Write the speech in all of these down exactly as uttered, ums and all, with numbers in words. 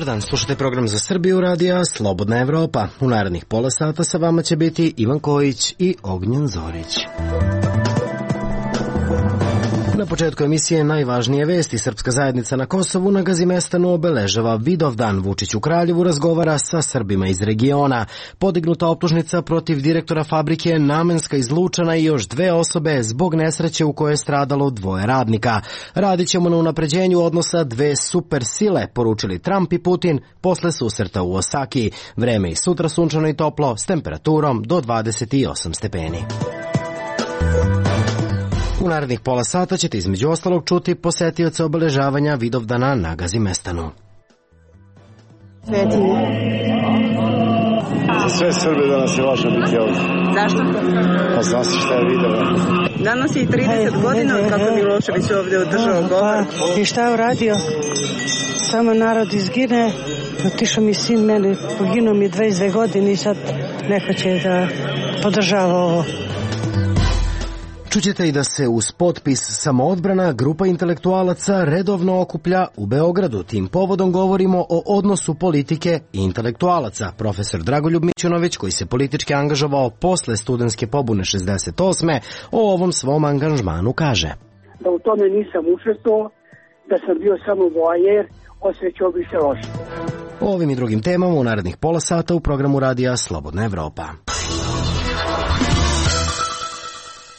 dan, slušajte program za Srbiju radija Slobodna Evropa. U narednih pola sata sa vama će biti Ivan Kojić i Ognjen Zorić. Na početku emisije najvažnije vesti. Srpska zajednica na Kosovu na Gazimestanu obeležava Vidovdan. Vučić u Kraljevu razgovara sa Srbima iz regiona. Podignuta optužnica protiv direktora fabrike Namenska izlučena i još dve osobe zbog nesreće u kojoj je stradalo dvoje radnika. Radit ćemo na unapređenju odnosa dve super sile, poručili Trump i Putin posle susreta u Osaki. Vreme i sutra sunčano i toplo s temperaturom do dvadeset osam stepeni. U narednih pola sata ćete između ostalog čuti posetioce obeležavanja Vidovdana na Gazimestanu. Svetinje. Za sve Srbe danas je važno biti ovdje. Zašto? Pa zna se šta je Vidovdan. Danas je i trideset godina od kako Milošević ovdje održao govor. Pa, i šta je uradio? Samo narod izgine. Otišao mi sin, meni poginuo mi dvadeset dve godine i sad neko će da podržava ovo. Čućete i da se uz potpis Samoodbrana grupa intelektualaca redovno okuplja u Beogradu. Tim povodom govorimo o odnosu politike i intelektualaca. Profesor Dragoljub Mićunović, koji se politički angažovao posle studentske pobune šezdeset osme, o ovom svom angažmanu kaže: Da u tome nisam učestvovao, da sam bio samo voajer, osjećao bi se loše. O ovim i drugim temama u narednih pola sata u programu radija Slobodna Evropa.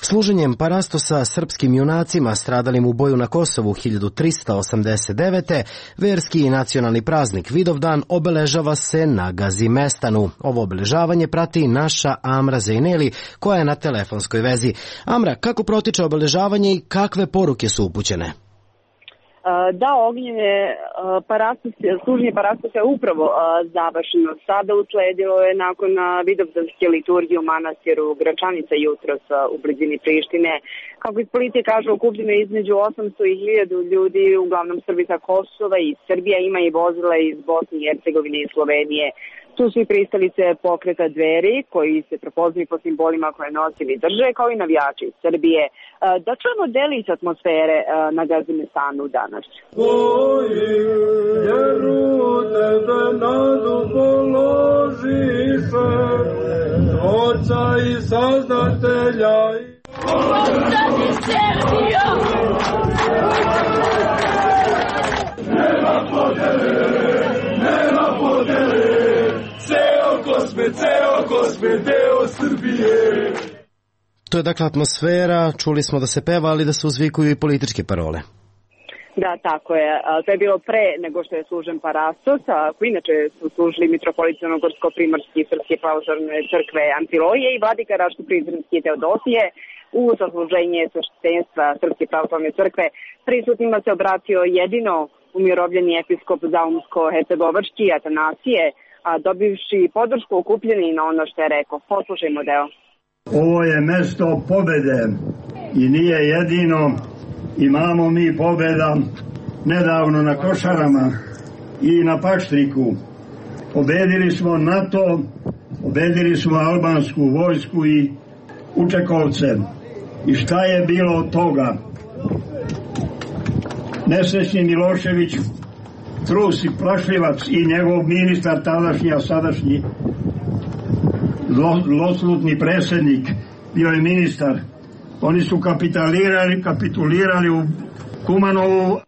Služenjem parastosa srpskim junacima stradalim u boju na Kosovu hiljadu trista osamdeset devete. verski i nacionalni praznik Vidovdan obeležava se na Gazimestanu. Ovo obeležavanje prati naša Amra Zejneli, koja je na telefonskoj vezi. Amra, kako protiče obeležavanje i kakve poruke su upućene? Da, Ognjene, služenje parastosa je upravo završeno. Sada usledilo je nakon vidovdanske liturgije u manastiru Gračanica jutros u blizini Prištine. Kako iz policije kažu, okupljeno je između osamsto i hiljadu ljudi, uglavnom Srbi sa Kosova i Srbija, ima i vozila iz Bosne i Hercegovine i Slovenije. Tu su i pristalice pokreta Dveri, koji se prepoznaju po simbolima koje nosili drže, kao i navijači iz Srbije. Da čujemo delić atmosfere na Gazimestanu danas. Tebe nadu položiše, Tvorca i Saznatelja. Ostani Srbijo! Nema podele, nema podele, ceo Kosme, ceo Kosme, deo Srbije. To je dakle atmosfera, čuli smo da se peva, ali da se uzvikuju i političke parole. Da, tako je. To je bilo pre nego što je služen parastos, a inače su služili mitropolit Crnogorsko-Primorski Srpske pravoslavne crkve Amfilohije i vladika Raško-Prizrenski Teodosije. U sasluženje sveštenstva Srpske pravoslavne crkve prisutnima se obratio jedino umirovljeni episkop Zaumsko-Hercegovački Atanasije, a dobivši podršku okupljeni na ono što je rekao. Poslušajmo deo. Ovo je mesto pobede i nije jedino. Imamo mi pobeda nedavno na Košarama i na Paštriku. Pobedili smo NATO, pobedili smo albansku vojsku i Učekovce. I šta je bilo od toga? Nesrećni Milošević, trus i plašljivac i njegov ministar tadašnji, a sadašnji zloslutni predsjednik, bio je ministar. Oni su kapitulirali, kapitulirali u Kumanovu.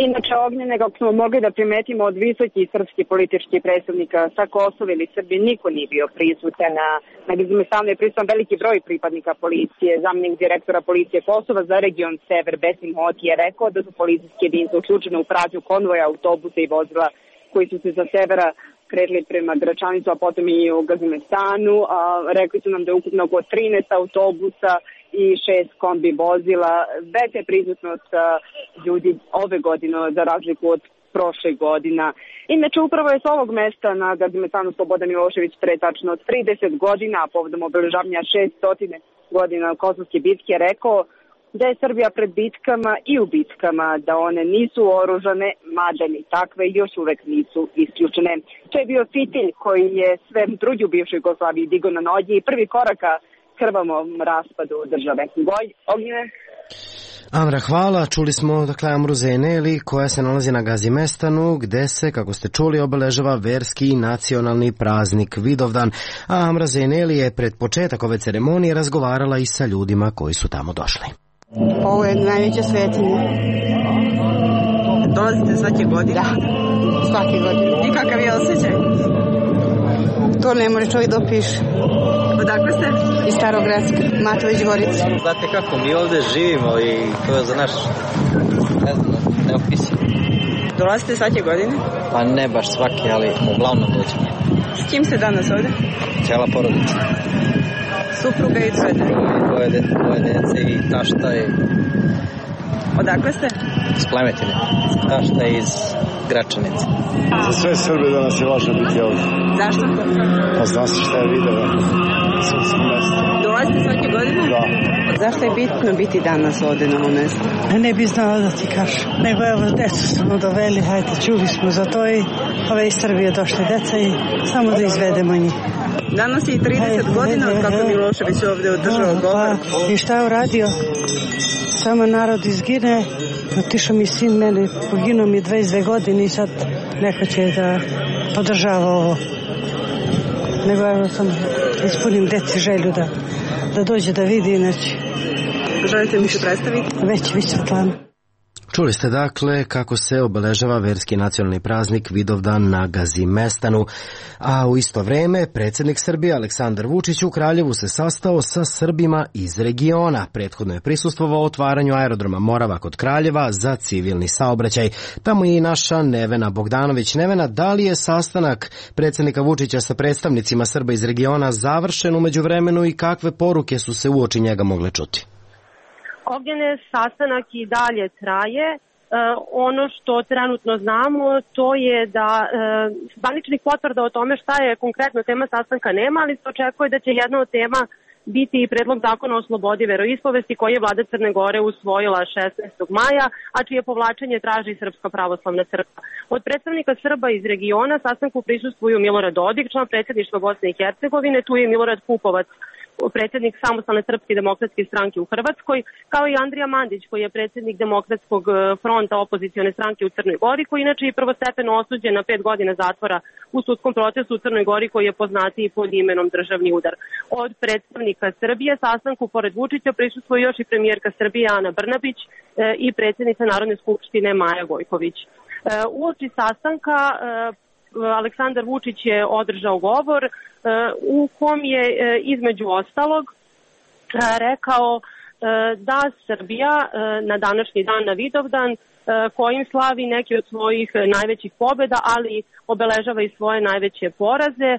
Inače, Ognjene, kako smo mogli da primetimo od visokih srpskih političkih predstavnika sa Kosova ili Srbije, niko nije bio prisutan. Na, na Gazimestanu je prisutan veliki broj pripadnika policije. Zamjenik direktora policije Kosova za region Sever, Besim Hoti, je rekao da su policijske jedinice uključene u pratnju konvoja, autobusa i vozila koji su se sa severa kretili prema Gračanicu, a potom i u Gazimestanu. A, rekli su nam da je ukupno oko trinaest autobusa i šest kombi vozila. Veća je prisutnost ljudi ove godine za razliku od prošle godina. Inače, upravo je s ovog mesta na Gazimestanu Slobodan Milošević pre tačno trideset godina, a povodom obeležavanja šesto godina Kosovske bitke, rekao da je Srbija pred bitkama i u bitkama, da one nisu oružane, mada ni takve još uvek nisu isključene. To je bio fitilj koji je sve drugi u bivšoj Jugoslaviji digo na noge i prvi koraka krvavom raspadu države. Goj, Ognjene? Amra, hvala. Čuli smo dakle Amru Zeneli koja se nalazi na Gazimestanu gde se, kako ste čuli, obeležava verski i nacionalni praznik Vidovdan. A Amra Zeneli je pred početak ove ceremonije razgovarala i sa ljudima koji su tamo došli. Ovo je najveća svetinja. Dolazite svake godine? Da, svake godine. I kakav je osjećaj? To ne može čovjek da opiše. Odakle ste? Iz Starogradske, Matović Gorica. Znate kako, mi ovdje živimo i to je za naš, ne znam, neopisivo. Dolazite svake godine? Pa ne baš svake, ali uglavnom dođemo. S kim ste danas ovdje? Cijela porodica. Supruga i dvoje dece? Dvoje dece, dvoje dece i tašta i... Odakle ste? Iz Plemetine. Tašta iz Gračanice. Za sve Srbe danas je važno biti ovdje. Zašto? Pa zna se šta je video. Dolazite svake godine? Da. Zašto je bitno biti danas ovdje na ovom mjestu? Ne bi znala da ti kažem. Nego evo, decu smo doveli, hajde, čuli smo za to i ove iz Srbije došle deca i samo da izvedemo njih. Danas je i trideset godina od kako Milošević ovdje održao govor. Pa, i šta je uradio? Samo narod izgine, otišao mi sin, meni poginuo mi dvadeset dve godine i sad neko će da podržava ovo. Nego evo sam ispunim deci želju da, da dođe da vidi, inače. Želite mi se predstaviti? Već, vi Svetlana. Čuli ste dakle kako se obeležava verski nacionalni praznik Vidovdan na Gazimestanu, a u isto vreme predsjednik Srbije Aleksandar Vučić u Kraljevu se sastao sa Srbima iz regiona. Prethodno je prisustvovao otvaranju aerodroma Morava kod Kraljeva za civilni saobraćaj. Tamo je i naša Nevena Bogdanović. Nevena, da li je sastanak predsjednika Vučića sa predstavnicima Srba iz regiona završen u međuvremenu i kakve poruke su se uoči njega mogle čuti? Ognjene, sastanak i dalje traje. E, ono što trenutno znamo to je da e, zvaničnih potvrda o tome šta je konkretno tema sastanka nema, ali se očekuje da će jedna od tema biti i predlog zakona o slobodi veroispovesti koji je vlada Crne Gore usvojila šesnaestog maja, a čije povlačenje traži Srpska pravoslavna crkva. Od predstavnika Srba iz regiona sastanku prisustvuju Milorad Dodik, član predsjedništva Bosne i Hercegovine, tu je Milorad Pupovac, predsjednik Samostalne srpske demokratske stranke u Hrvatskoj, kao i Andrija Mandić, koji je predsjednik Demokratskog fronta opozicione stranke u Crnoj Gori, koji inače i prvostepeno osuđen na pet godina zatvora u sudskom procesu u Crnoj Gori, koji je poznatiji pod imenom Državni udar. Od predstavnika Srbije sastanku pored Vučića prisustvuje još i premijerka Srbije Ana Brnabić i predsjednica Narodne skupštine Maja Gojković. Uoči sastanka Aleksandar Vučić je održao govor u kom je između ostalog rekao da Srbija na današnji dan, na Vidovdan, kojim slavi neki od svojih najvećih pobjeda, ali obeležava i svoje najveće poraze,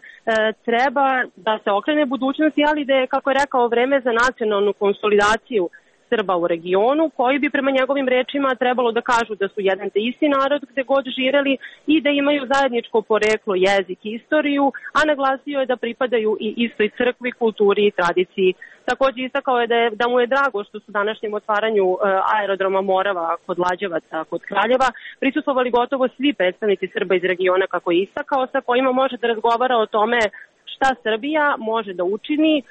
treba da se okrene budućnosti, ali da je, kako je rekao, vreme za nacionalnu konsolidaciju Srba u regionu, koji bi prema njegovim rečima trebalo da kažu da su jedan te isti narod gde god živeli i da imaju zajedničko poreklo, jezik i istoriju, a naglasio je da pripadaju i istoj crkvi, kulturi i tradiciji. Također istakao je da, je da mu je drago što su današnjem otvaranju e, aerodroma Morava kod Lađevaca, kod Kraljeva, prisustvovali gotovo svi predstavnici Srba iz regiona, kako je istakao, sa kojima može da razgovara o tome šta Srbija može da učini e,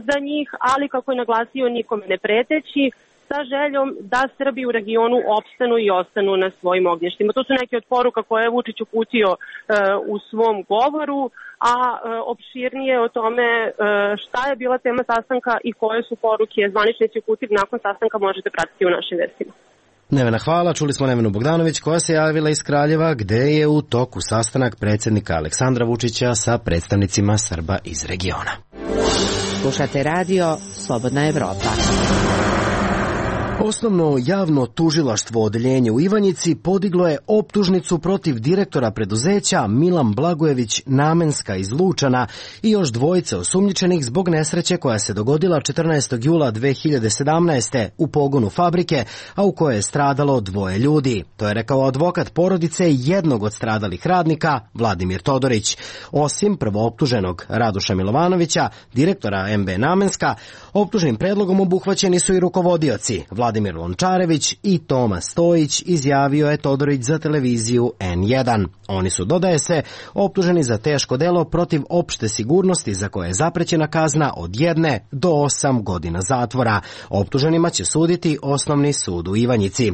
za njih, ali kako je naglasio, nikome ne preteći, sa željom da Srbi u regionu opstanu i ostanu na svojim ognjištima. To su neke od poruka koje je Vučić uputio e, u svom govoru, a e, opširnije o tome e, šta je bila tema sastanka i koje su poruke zvaničnici uputili nakon sastanka možete pratiti u našim vestima. Nevena, hvala. Čuli smo Nevenu Bogdanović koja se javila iz Kraljeva gde je u toku sastanak predsjednika Aleksandra Vučića sa predstavnicima Srba iz regiona. Slušate radio Slobodna Evropa. Osnovno javno tužilaštvo odeljenje u Ivanjici podiglo je optužnicu protiv direktora preduzeća Milan Blagojević Namenska iz Lučana i još dvojice osumnjičenih zbog nesreće koja se dogodila četrnaestog jula dve hiljade sedamnaeste. u pogonu fabrike, a u kojoj je stradalo dvoje ljudi. To je rekao advokat porodice jednog od stradalih radnika, Vladimir Todorić. Osim prvooptuženog Radoša Milovanovića, direktora em be Namenska, optužnim predlogom obuhvaćeni su i rukovodioci Vladimir Vladimir Lončarević i Toma Stojić, izjavio je Todorić za televiziju en jedan. Oni su, dodaje se, optuženi za teško delo protiv opšte sigurnosti za koje je zaprećena kazna od jedne do osam godina zatvora. Optuženima će suditi Osnovni sud u Ivanjici.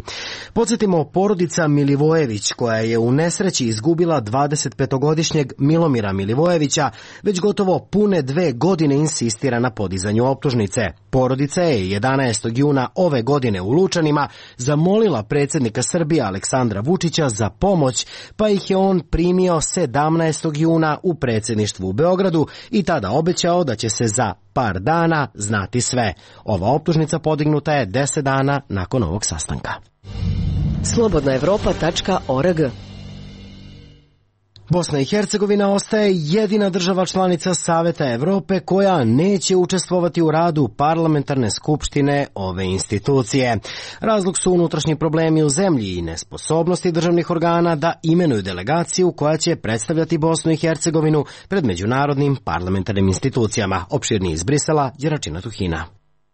Podsjetimo, porodica Milivojević, koja je u nesreći izgubila dvadesetpetogodišnjeg Milomira Milivojevića, već gotovo pune dve godine insistira na podizanju optužnice. Porodica je jedanaestog juna ove godine u Lučanima zamolila predsjednika Srbije Aleksandra Vučića za pomoć, pa ih je on primio sedamnaestog juna u predsjedništvu u Beogradu i tada obećao da će se za par dana znati sve. Ova optužnica podignuta je deset dana nakon ovog sastanka. slobodna evropa tačka org. Bosna i Hercegovina ostaje jedina država članica Saveta Evrope koja neće učestvovati u radu parlamentarne skupštine ove institucije. Razlog su unutrašnji problemi u zemlji i nesposobnosti državnih organa da imenuju delegaciju koja će predstavljati Bosnu i Hercegovinu pred međunarodnim parlamentarnim institucijama. Opširniji iz Brisela, Đeračina Tuhina.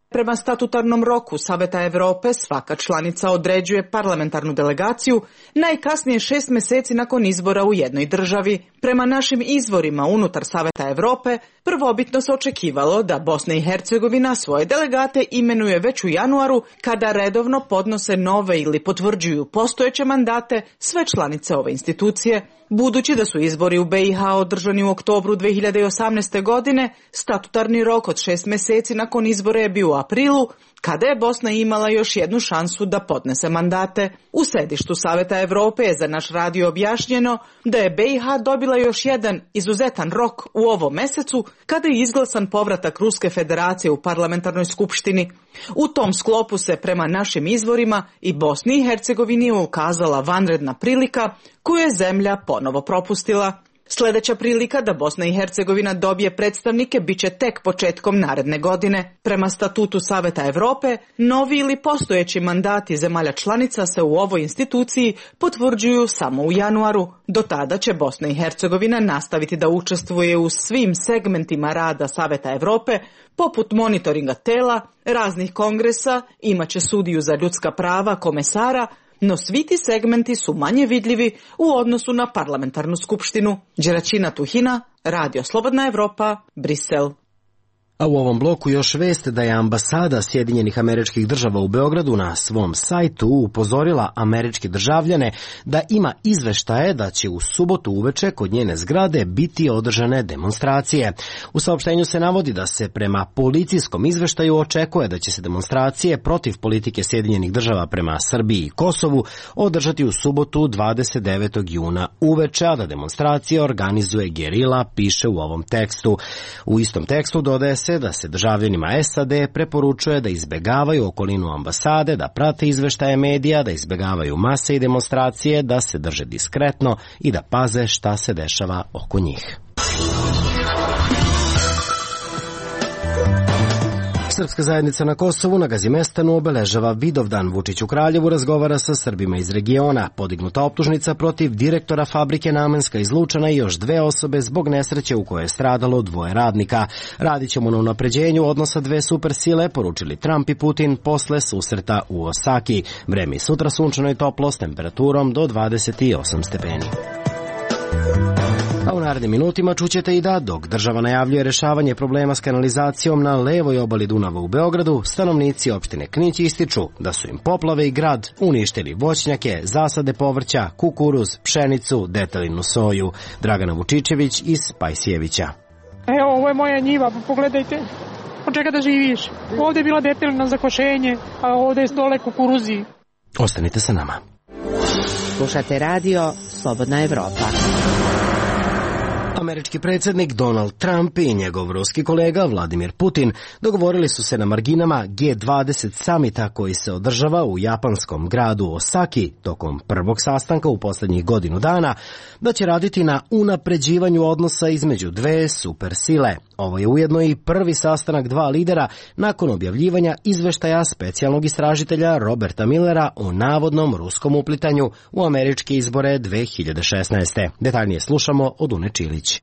Prema statutarnom roku Saveta Evrope svaka članica određuje parlamentarnu delegaciju najkasnije šest meseci nakon izbora u jednoj državi. Prema našim izvorima unutar Saveta Evrope, prvobitno se očekivalo da Bosna i Hercegovina svoje delegate imenuje već u januaru, kada redovno podnose nove ili potvrđuju postojeće mandate sve članice ove institucije. Budući da su izbori u be i ha održani u oktobru dve hiljade osamnaeste. godine, statutarni rok od šest meseci nakon izbora je bio u aprilu, kada je Bosna imala još jednu šansu da podnese mandate. U sedištu Saveta Evrope je za naš radio objašnjeno da je be i ha dobila još jedan izuzetan rok u ovom mesecu, kada je izglasan povratak Ruske federacije u parlamentarnoj skupštini. U tom sklopu se prema našim izvorima i Bosni i Hercegovini ukazala vanredna prilika koju je zemlja ponovo propustila. Sljedeća prilika da Bosna i Hercegovina dobije predstavnike biće tek početkom naredne godine. Prema statutu Saveta Evrope, novi ili postojeći mandati zemalja članica se u ovoj instituciji potvrđuju samo u januaru. Do tada će Bosna i Hercegovina nastaviti da učestvuje u svim segmentima rada Saveta Evrope, poput monitoringa tela, raznih kongresa, imaće sudiju za ljudska prava, komesara, no svi ti segmenti su manje vidljivi u odnosu na parlamentarnu skupštinu. Đeračina Tuhina, Radio Slobodna Evropa, Brisel. A u ovom bloku još vest da je ambasada Sjedinjenih Američkih Država u Beogradu na svom sajtu upozorila američke državljane da ima izveštaje da će u subotu uveče kod njene zgrade biti održane demonstracije. U saopštenju se navodi da se prema policijskom izveštaju očekuje da će se demonstracije protiv politike Sjedinjenih Država prema Srbiji i Kosovu održati u subotu dvadeset devetog juna uveče, a da demonstracije organizuje gerila, piše u ovom tekstu. U istom tekstu dodaje se da se državljanima es a de preporučuje da izbegavaju okolinu ambasade, da prate izveštaje medija, da izbegavaju mase i demonstracije, da se drže diskretno i da paze šta se dešava oko njih. Srpska zajednica na Kosovu na Gazimestanu obeležava Vidovdan. Vučić u Kraljevu razgovara sa Srbima iz regiona. Podignuta optužnica protiv direktora fabrike Namenska iz Lučana i još dve osobe zbog nesreće u kojoj je stradalo dvoje radnika. Radit ćemo na unapređenju odnosa dve supersile, poručili Trump i Putin posle susreta u Osaki. Vreme sutra sunčano i toplo s temperaturom do dvadeset osam stepeni. A u narednim minutima čućete i da, dok država najavljuje rešavanje problema s kanalizacijom na levoj obali Dunava u Beogradu, stanovnici opštine Knić ističu da su im poplave i grad uništili voćnjake, zasade povrća, kukuruz, pšenicu, detelinu soju. Dragana Vučičević iz Pajsijevića. Evo, ovo je moja njiva, pogledajte. Od čega da živiš? Ovdje je bila detelina za košenje, a ovdje je dole kukuruzi. Ostanite sa nama. Slušate radio Slobodna Evropa. Američki predsjednik Donald Trump i njegov ruski kolega Vladimir Putin dogovorili su se na marginama ge dvadeset samita koji se održava u japanskom gradu Osaki tokom prvog sastanka u posljednjih godinu dana da će raditi na unapređivanju odnosa između dve supersile. Ovo je ujedno i prvi sastanak dva lidera nakon objavljivanja izveštaja specijalnog istražitelja Roberta Millera o navodnom ruskom uplitanju u američke izbore dve hiljade šesnaeste. Detaljnije slušamo od Une Čilić.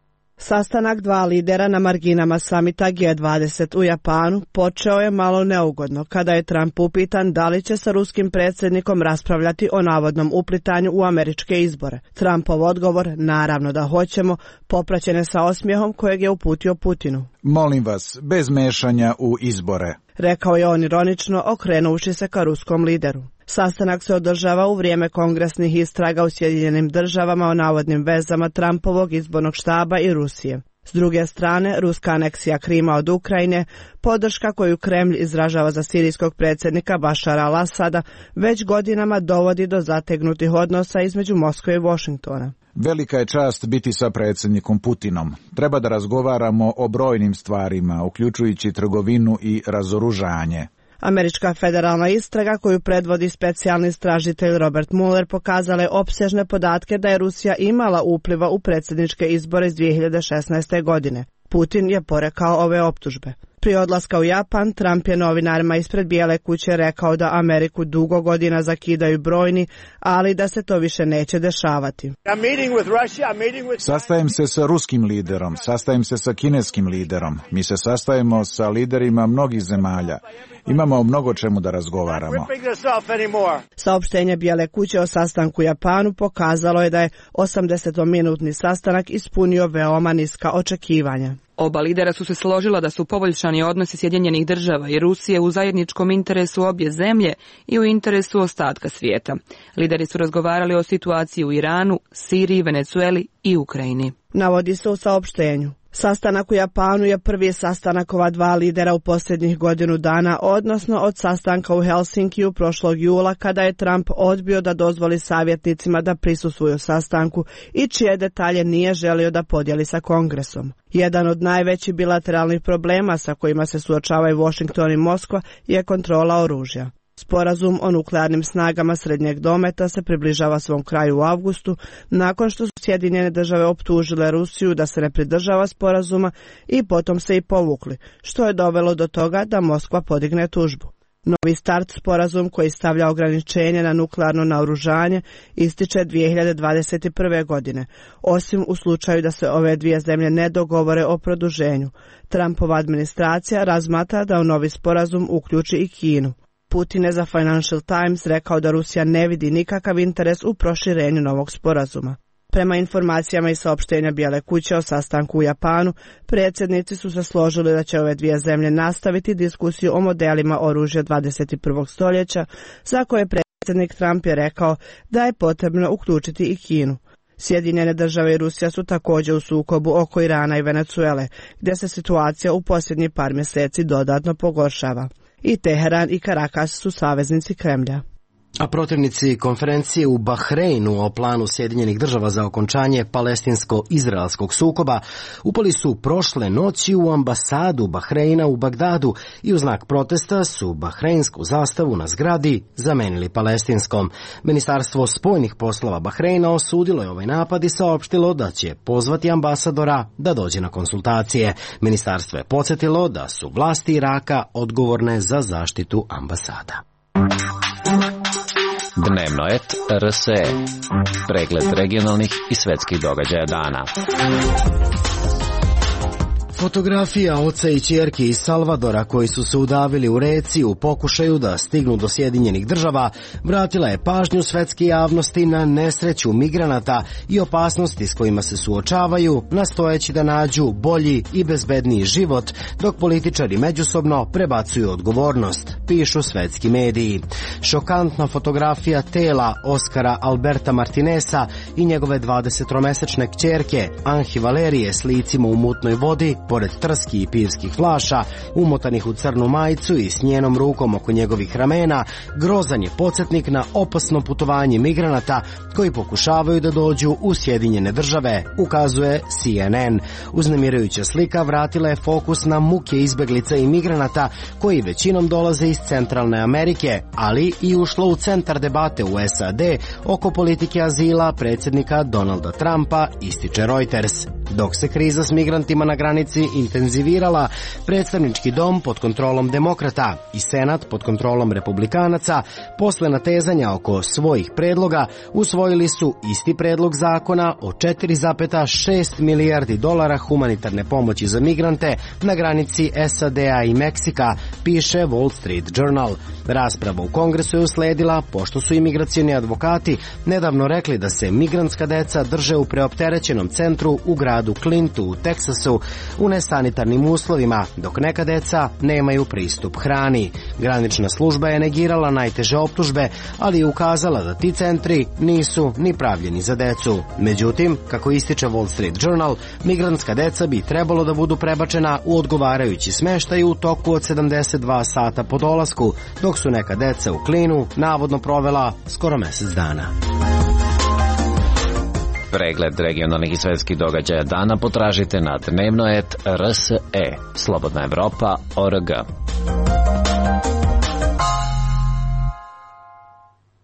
Sastanak dva lidera na marginama samita G dvadeset u Japanu počeo je malo neugodno kada je Trump upitan da li će sa ruskim predsjednikom raspravljati o navodnom uplitanju u američke izbore. Trumpov odgovor, naravno da hoćemo, popraćen je sa osmijehom kojeg je uputio Putinu. Molim vas, bez mešanja u izbore, rekao je on ironično, okrenuši se ka ruskom lideru. Sastanak se održava u vrijeme kongresnih istraga u Sjedinjenim državama o navodnim vezama Trumpovog izbornog štaba i Rusije. S druge strane, ruska aneksija Krima od Ukrajine, podrška koju Kremlj izražava za sirijskog predsjednika Bašara al-Asada, već godinama dovodi do zategnutih odnosa između Moskve i Washingtona. Velika je čast biti sa predsjednikom Putinom. Treba da razgovaramo o brojnim stvarima, uključujući trgovinu i razoružanje. Američka federalna istraga koju predvodi specijalni istražitelj Robert Mueller pokazala je opsežne podatke da je Rusija imala upliva u predsjedničke izbore iz dvije hiljade šesnaeste. godine. Putin je porekao ove optužbe. Prije odlaska u Japan, Trump je novinarima ispred Bijele kuće rekao da Ameriku dugo godina zakidaju brojni, ali da se to više neće dešavati. Sastajem se sa ruskim liderom, sastajem se sa kineskim liderom, mi se sastajemo sa liderima mnogih zemalja. Imamo o mnogo čemu da razgovaramo. Saopštenje Bijele kuće o sastanku u Japanu pokazalo je da je osamdesetminutni sastanak ispunio veoma niska očekivanja. Oba lidera su se složila da su poboljšani odnosi Sjedinjenih država i Rusije u zajedničkom interesu obje zemlje i u interesu ostatka svijeta. Lideri su razgovarali o situaciji u Iranu, Siriji, Venezueli i Ukrajini. Navodi se u saopštenju. Sastanak u Japanu je prvi sastanak ova dva lidera u posljednjih godinu dana, odnosno od sastanka u Helsinkiju prošlog jula kada je Trump odbio da dozvoli savjetnicima da prisustvuju sastanku i čije detalje nije želio da podijeli sa Kongresom. Jedan od najvećih bilateralnih problema sa kojima se suočavaju Washington i Moskva je kontrola oružja. Sporazum o nuklearnim snagama srednjeg dometa se približava svom kraju u avgustu, nakon što su Sjedinjene države optužile Rusiju da se ne pridržava sporazuma i potom se i povukli, što je dovelo do toga da Moskva podigne tužbu. Novi start sporazum koji stavlja ograničenje na nuklearno naoružanje ističe dvije hiljade dvadeset prve. godine, osim u slučaju da se ove dvije zemlje ne dogovore o produženju. Trumpova administracija razmatra da u novi sporazum uključi i Kinu. Putin je za Financial Times rekao da Rusija ne vidi nikakav interes u proširenju novog sporazuma. Prema informacijama i saopštenja Bijele kuće o sastanku u Japanu, predsjednici su se složili da će ove dvije zemlje nastaviti diskusiju o modelima oružja dvadeset prvog. stoljeća, za koje predsjednik Trump je rekao da je potrebno uključiti i Kinu. Sjedinjene države i Rusija su također u sukobu oko Irana i Venezuele, gdje se situacija u posljednjih par mjeseci dodatno pogoršava. I Teheran i Karakas su saveznici Kremlja. A protivnici konferencije u Bahreinu o planu Sjedinjenih država za okončanje palestinsko-izraelskog sukoba upali su prošle noći u ambasadu Bahreina u Bagdadu i u znak protesta su bahreinsku zastavu na zgradi zamenili palestinskom. Ministarstvo spoljnih poslova Bahreina osudilo je ovaj napad i saopštilo da će pozvati ambasadora da dođe na konsultacije. Ministarstvo je podsjetilo da su vlasti Iraka odgovorne za zaštitu ambasada. Dnevno et R S E. Pregled regionalnih i svetskih događaja dana. Fotografija oca i ćerke iz Salvadora koji su se udavili u reci u pokušaju da stignu do Sjedinjenih država vratila je pažnju svetske javnosti na nesreću migranata i opasnosti s kojima se suočavaju, nastojeći da nađu bolji i bezbedniji život, dok političari međusobno prebacuju odgovornost, pišu svetski mediji. Šokantna fotografija tela Oskara Alberta Martinesa i njegove dvadesetromesečne kćerke Anhi Valerije s licima u mutnoj vodi pored trski i pivskih flaša, umotanih u crnu majicu i s njenom rukom oko njegovih ramena, grozan je podsjetnik na opasno putovanje migranata koji pokušavaju da dođu u Sjedinjene države, ukazuje C N N. Uznemirujuća slika vratila je fokus na muke izbeglica i migranata koji većinom dolaze iz Centralne Amerike, ali i ušlo u centar debate u S A D oko politike azila predsjednika Donalda Trumpa, ističe Reuters. Dok se kriza s migrantima na granici intenzivirala, predstavnički dom pod kontrolom demokrata i senat pod kontrolom republikanaca, posle natezanja oko svojih predloga, usvojili su isti predlog zakona o četiri zarez šest milijardi dolara humanitarne pomoći za migrante na granici S A D-a i Meksika, piše Wall Street Journal. Rasprava u Kongresu je usledila pošto su imigracioni advokati nedavno rekli da se migrantska deca drže u preopterećenom centru u gradu Clintu u Teksasu u nesanitarnim uslovima, dok neka deca nemaju pristup hrani. Granična služba je negirala najteže optužbe, ali je ukazala da ti centri nisu ni pravljeni za decu. Međutim, kako ističe Wall Street Journal, migrantska deca bi trebalo da budu prebačena u odgovarajući smeštaj u toku od sedamdeset dva sata po dolasku, dok su neka deca u Klinu navodno provela skoro mesec dana. Pregled regionalnih i svetskih događaja dana potražite na dnevnoet R S E, Slobodna Evropa, O R G.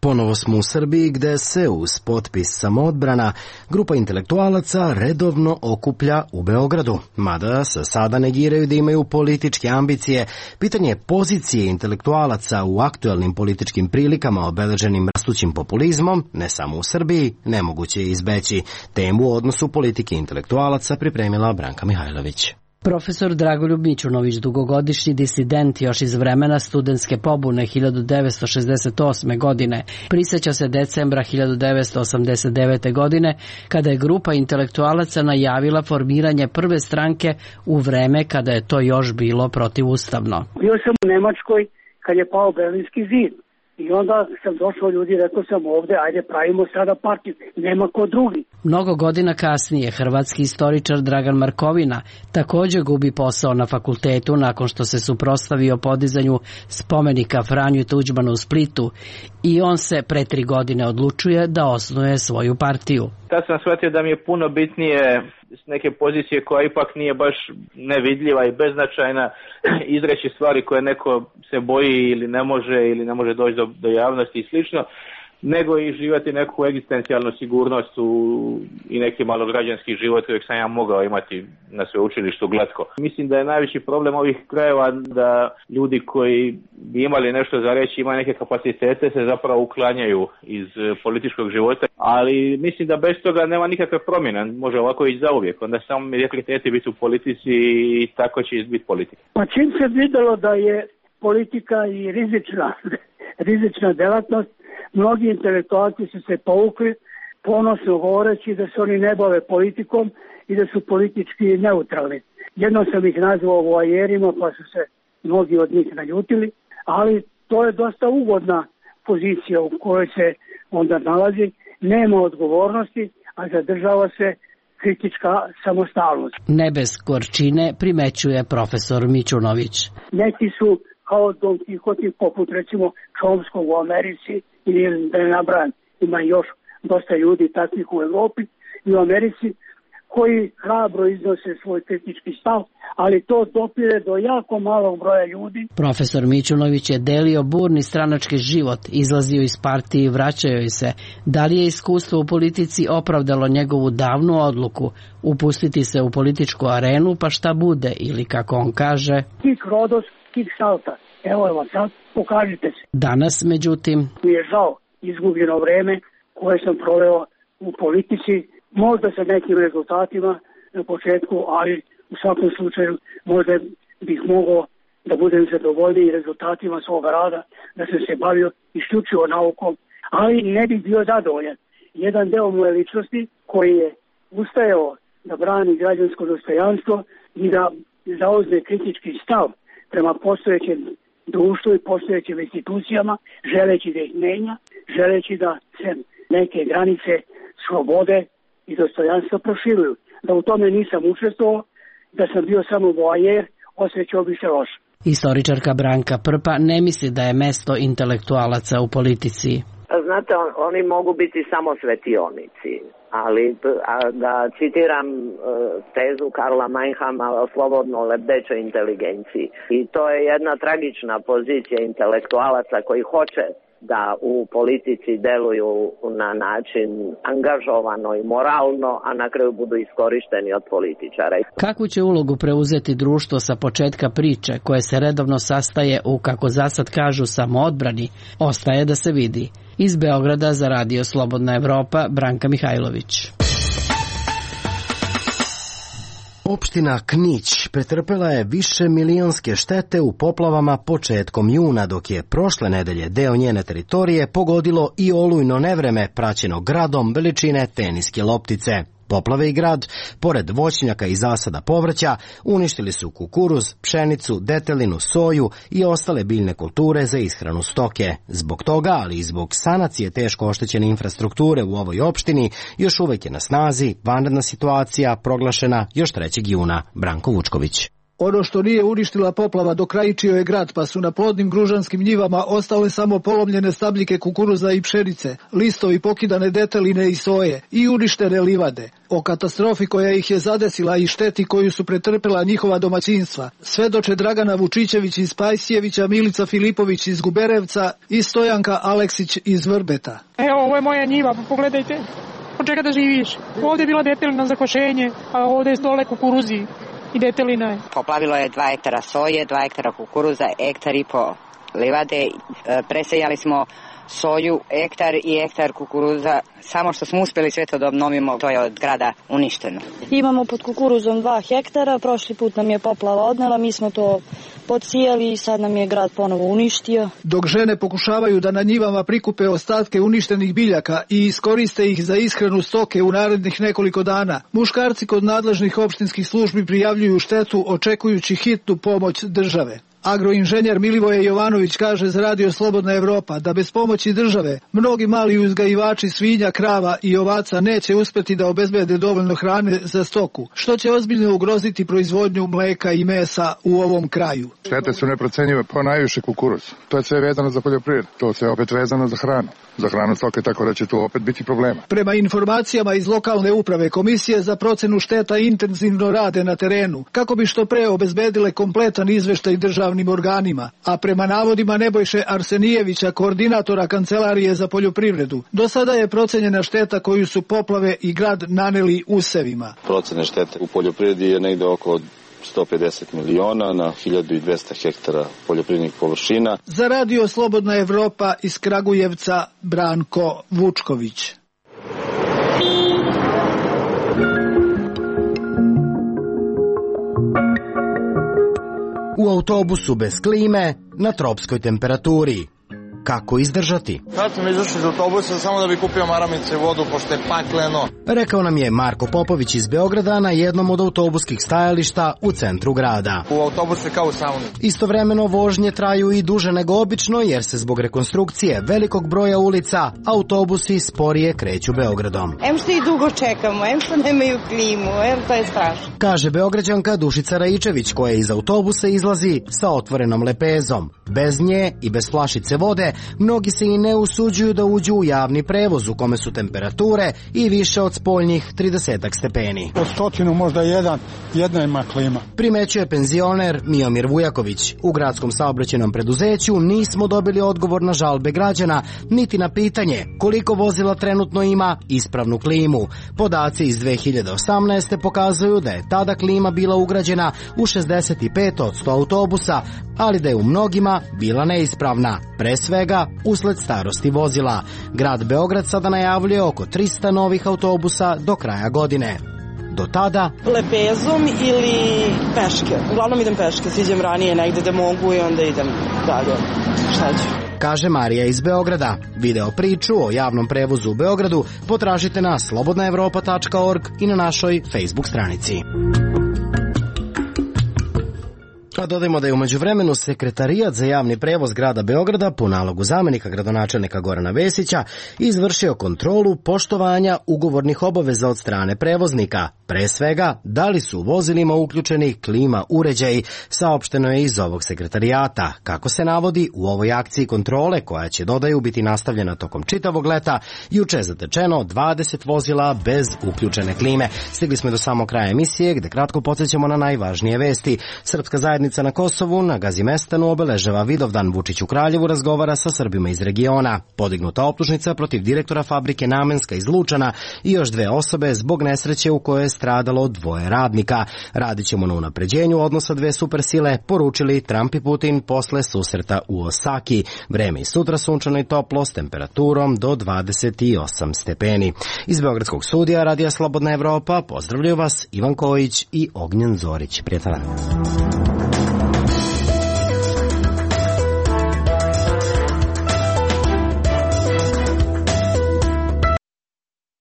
Ponovo smo u Srbiji gde se uz potpis Samoodbrana grupa intelektualaca redovno okuplja u Beogradu. Mada se sada negiraju da imaju političke ambicije, pitanje pozicije intelektualaca u aktuelnim političkim prilikama obeleženim rastućim populizmom, ne samo u Srbiji, nemoguće je izbeći. Temu u odnosu politike intelektualaca pripremila Branka Mihajlović. Profesor Dragoljub Mićunović, dugogodišnji disident još iz vremena studentske pobune hiljadu devetsto šezdeset osme. godine, priseća se decembra hiljadu devetsto osamdeset devete. godine, kada je grupa intelektualaca najavila formiranje prve stranke u vreme kada je to još bilo protivustavno. Bio sam u Nemačkoj kad je pao Berlinski zid. I onda sam došao ljudi i rekao sam ovde, ajde pravimo sada partiju, nema ko drugi. Mnogo godina kasnije hrvatski istoričar Dragan Markovina također gubi posao na fakultetu nakon što se suprotstavio podizanju spomenika Franju Tuđmanu u Splitu i on se pre tri godine odlučuje da osnuje svoju partiju. Tad sam shvatio da mi je puno bitnije s neke pozicije koja ipak nije baš nevidljiva i beznačajna izreći stvari koje neko se boji ili ne može ili ne može doći do, do javnosti i slično, nego i živjeti neku egzistencijalnu sigurnost u, i neki malograđanski život kojeg sam ja mogao imati na sveučilištu glatko. Mislim da je najveći problem ovih krajeva da ljudi koji bi imali nešto za reći, imaju neke kapacitete, se zapravo uklanjaju iz političkog života, ali mislim da bez toga nema nikakve promjene, može ovako i zauvijek, onda samo mi rekli biti u politici i tako će biti politika. Pa čim se vidjelo da je politika i rizična, rizična delatnost, mnogi intelektualci su se povukli, ponosno govoreći da se oni ne bave politikom i da su politički neutralni. Jednom sam ih nazvao voajerima, pa su se mnogi od njih naljutili, ali to je dosta ugodna pozicija u kojoj se onda nalazi. Nema odgovornosti, a zadržava se kritička samostalnost. Ne bez gorčine primećuje profesor Mićunović. Neki su kao Don Quixote, poput recimo Chomskog u Americi, ili da ne nabrajam, ima još dosta ljudi takvih u Evropi i u Americi koji hrabro iznose svoj kritički stav, ali to dopire do jako malog broja ljudi. Profesor Mićunović je delio burni stranački život, izlazio iz partije i vraćao joj se. Da li je iskustvo u politici opravdalo njegovu davnu odluku upustiti se u političku arenu, pa šta bude, ili kako on kaže, Kik rodos, kik salta. Evo vam sad, pokažite se. Danas, međutim, mi je žao izgubljeno vreme koje sam proveo u politici, možda sa nekim rezultatima na početku, ali u svakom slučaju možda bih mogao da budem zadovoljniji rezultatima svoga rada, da sam se bavio isključivo naukom, ali ne bih bio zadovoljan. Jedan deo moje ličnosti koji je ustajao da brani građansko dostojanstvo i da zauzme kritički stav prema postojećem društvu i postojećim institucijama, želeći da ih menja, želeći da se neke granice slobode i dostojanstva proširuju. Da u tome nisam učestvovao, da sam bio samo voajer, osjećao bi se loše. Istoričarka Branka Prpa ne misli da je mesto intelektualaca u politici. Znate, on, oni mogu biti samo svetionici, ali a, da citiram e, tezu Karla Meinhama o slobodno lebdećoj inteligenciji. I to je jedna tragična pozicija intelektualaca koji hoće da u politici deluju na način angažovano i moralno, a na kraju budu iskorišteni od političara. Kakvu će ulogu preuzeti društvo sa početka priče, koje se redovno sastaje u, kako zasad kažu, samoodbrani, ostaje da se vidi. Iz Beograda za Radio Slobodna Evropa, Branka Mihajlović. Opština Knić pretrpela je više milionske štete u poplavama početkom juna, dok je prošle nedelje deo njene teritorije pogodilo i olujno nevreme praćeno gradom veličine teniske loptice. Poplave i grad, pored voćnjaka i zasada povrća, uništili su kukuruz, pšenicu, detelinu, soju i ostale biljne kulture za ishranu stoke. Zbog toga, ali i zbog sanacije teško oštećene infrastrukture u ovoj opštini, još uvek je na snazi vanredna situacija proglašena još trećeg juna. Branko Vučković. Ono što nije uništila poplava dokrajčio je grad, pa su na plodnim gružanskim njivama ostale samo polomljene stabljike kukuruza i pšenice, listovi pokidane deteline i soje i uništene livade. O katastrofi koja ih je zadesila i šteti koju su pretrpela njihova domaćinstva svedoče Dragana Vučićević iz Pajsijevića, Milica Filipović iz Guberevca i Stojanka Aleksić iz Vrbeta. Evo, ovo je moja njiva, pogledajte. Od čega da živiš? Ovdje je bila detelina za košenje, a ovdje je dole kukuruzi. I detelina je. Poplavilo je dva hektara soje, dva hektara kukuruza, hektar i po livade. Presejali smo soju, hektar i hektar kukuruza. Samo što smo uspjeli sve to da obnovimo, to je od grada uništeno. Imamo pod kukuruzom dva hektara, prošli put nam je poplava odnela, mi smo to podsijali i sad nam je grad ponovo uništio. Dok žene pokušavaju da na njivama prikupe ostatke uništenih biljaka i iskoriste ih za ishranu stoke u narednih nekoliko dana, muškarci kod nadležnih opštinskih službi prijavljuju štetu očekujući hitnu pomoć države. Agroinženjer Milivoje Jovanović kaže za Radio Slobodna Evropa da bez pomoći države mnogi mali uzgajivači svinja, krava i ovaca neće uspeti da obezbede dovoljno hrane za stoku, što će ozbiljno ugroziti proizvodnju mleka i mesa u ovom kraju. Štete su neprocenjive, po najviše kukuruz. To je sve vezano za poljoprivredu, to je sve opet vezano za hranu. Za hranu stoke, tako da će tu opet biti problema. Prema informacijama iz lokalne uprave, komisije za procenu šteta intenzivno rade na terenu, kako bi što pre obezbedile kompletan izveštaj državnim organima, a prema navodima Nebojše Arsenijevića, koordinatora Kancelarije za poljoprivredu, do sada je procenjena šteta koju su poplave i grad naneli usevima. Procene štete u poljoprivredi je negde oko sto pedeset miliona na hiljadu dvesta hektara poljoprivrednih površina. Za Radio Slobodna Evropa iz Kragujevca, Branko Vučković. U autobusu bez klime, na tropskoj temperaturi. Kako izdržati? Kad sam izašao iz autobusa samo da bi kupio maramice i vodu, pošto je pakleno. Rekao nam je Marko Popović iz Beograda na jednom od autobuskih stajališta u centru grada. U autobusu je kao u sauni. Istovremeno vožnje traju i duže nego obično jer se zbog rekonstrukcije velikog broja ulica autobusi sporije kreću Beogradom. Em što i dugo čekamo, em što nemaju klimu, em to je strašno. Kaže Beograđanka Dušica Rajičević koja iz autobusa izlazi sa otvorenom lepezom. Bez nje i bez flašice vode mnogi se i ne usuđuju da uđu u javni prevoz u kome su temperature i više od spoljnih trideset stepeni. Od stotinu možda jedan, jedna ima klima. Primećuje penzioner Miomir Vujaković. U gradskom saobraćajnom preduzeću nismo dobili odgovor na žalbe građana, niti na pitanje koliko vozila trenutno ima ispravnu klimu. Podaci iz dve hiljade osamnaeste. pokazuju da je tada klima bila ugrađena u šezdeset pet od sto autobusa, ali da je u mnogima bila neispravna, pre svega usled starosti vozila. Grad Beograd sada najavljuje oko trista novih autobusa do kraja godine. Do tada... Lepezom ili peške. Uglavnom idem peške, siđem ranije negde da mogu i onda idem dalje. Šta ću? Kaže Marija iz Beograda. Video priču o javnom prevozu u Beogradu potražite na slobodna evropa tačka org i na našoj Facebook stranici. A dodajmo da je u međuvremenu Sekretarijat za javni prevoz grada Beograda po nalogu zamenika gradonačelnika Gorana Vesića izvršio kontrolu poštovanja ugovornih obaveza od strane prevoznika. Pre svega, da li su u vozilima uključeni klima uređaji, saopšteno je iz ovog sekretarijata. Kako se navodi, u ovoj akciji kontrole, koja će, dodaju, biti nastavljena tokom čitavog leta, juče je zatečeno dvadeset vozila bez uključene klime. Stigli smo do samog kraja emisije, gde kratko podsjećamo na najvažnije vesti. Srpska zajednica zajednica na Kosovu na Gazimestanu obeležava Vidovdan. Vučić u Kraljevu razgovara sa Srbima iz regiona. Podignuta optužnica protiv direktora fabrike Namenska iz Lučana i još dve osobe zbog nesreće u kojoj je stradalo dvoje radnika. Radit ćemo na unapređenju odnosa dve supersile, poručili Trump i Putin posle susreta u Osaki. Vreme i sutra sunčano i toplo s temperaturom do dvadeset osam stepeni. Iz Beogradskog studija Radija Slobodna Evropa pozdravljaju vas Ivan Kojić i Ognjen Zorić. Prijatan dan.